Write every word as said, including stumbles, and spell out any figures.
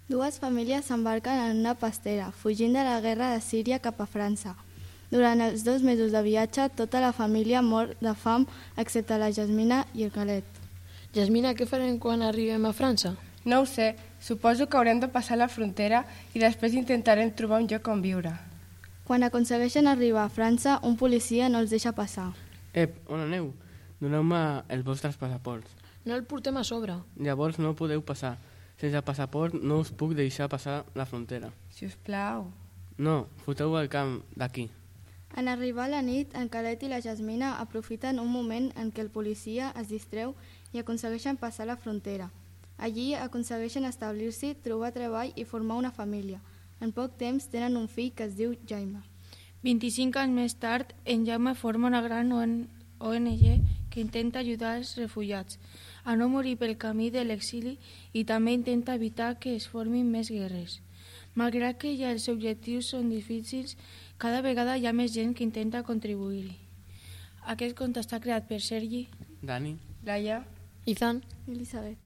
Dues famílies s'embarquen en una pastera, fugint de la guerra de Síria cap a França. Durant els dos mesos de viatge, tota la família mor de fam, excepte la Jasmina i el Khaled. Jasmina, què farem quan arribem a França? No ho sé, suposo que haurem de passar la frontera i després intentarem trobar un lloc on viure. Quan aconsegueixen arribar a França, un policia no els deixa passar. Ep, on aneu? Doneu-me els vostres passaports. No el portem a sobre. Llavors no podeu passar. Sense passaport no us puc deixar passar la frontera. Si us plau. No, foteu el camp d'aquí. En arribar a la nit, en Khaled i la Jasmina aprofiten un moment en què el policia es distreu i aconsegueixen passar la frontera. Allí aconsegueixen establir-s'hi, trobar treball i formar una família. En poc temps tenen un fill que es diu Jaime. vint-i-cinc anys més tard, en Jaume forma una gran O N G que intenta ajudar els refugiats a no morir pel camí de l'exili i també intenta evitar que es formin més guerres. Malgrat que ja els objectius són difícils, cada vegada hi ha més gent que intenta contribuir-hi. Aquest conte està creat per Sergi, Dani, Laia, Izan. Elisabet.